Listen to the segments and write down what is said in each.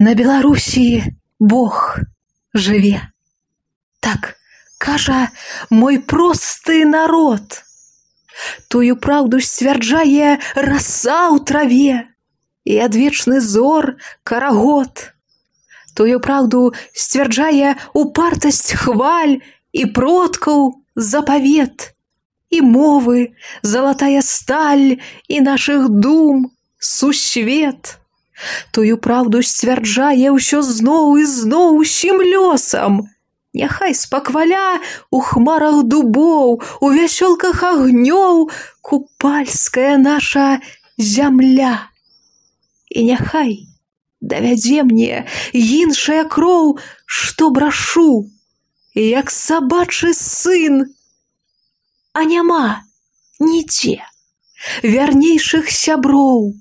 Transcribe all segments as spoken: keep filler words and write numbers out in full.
На Беларусі Бог жыве. Так кажа мой просты народ. Тую праўду сцвярджае раса ў траве і адвечны зор карагод. Тую праўду сцвярджае упартасць хваль і продкаў запавет, і мовы залатая сталь і нашых дум сусвет. Тую праўду сцвярджае ўсё зноў і зноў усім лёсам. Няхай спакваля у хмарах дубоў, у вясёлках агнёў купальская наша зямля. І няхай давядзе мне іншая кроў, што брашу, як сабачы сын. А няма нідзе вярнейшых сяброў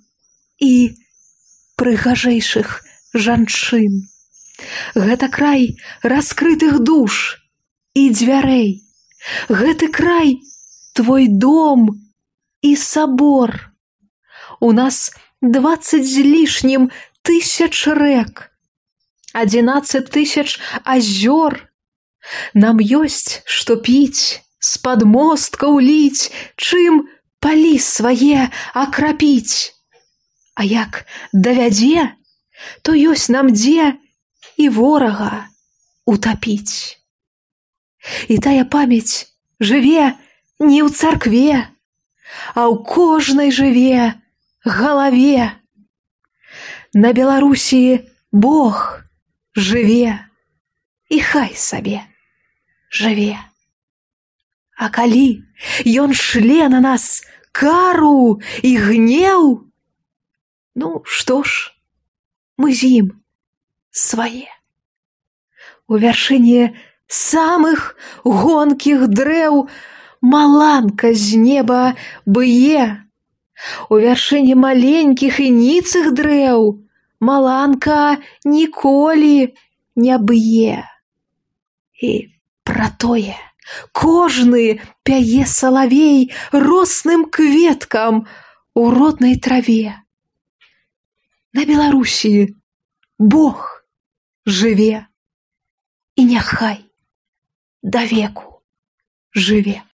і прыгажэйшых жанчын. Гэта край раскрытых душ і дзвярэй. Гэты край твой дом і сабор. У нас дваццаць з лішнім тысяч рэк, адзінаццаць тысяч азёр. Нам ёсць што піць, з-пад мосткаў ліць, чым палі свае акрапіць. А як давядзе, то ёсць нам дзе і ворага утапіць. І тая памяць жыве не ў царкве, а ў кожнай жыве галаве. На Беларусі Бог жыве і хай сабе жыве. А калі ён шле на нас кару і гнеў, ну што ж, мы з ім свае. У вяршыні самых гонкіх дрэў маланка з неба бые. У вяршыні маленькіх і ніцых дрэў маланка ніколі не б'е. І пра тое кожны пяе салавей росным кветкам у роднай траве. На Беларусі Бог жыве і няхай давеку жыве.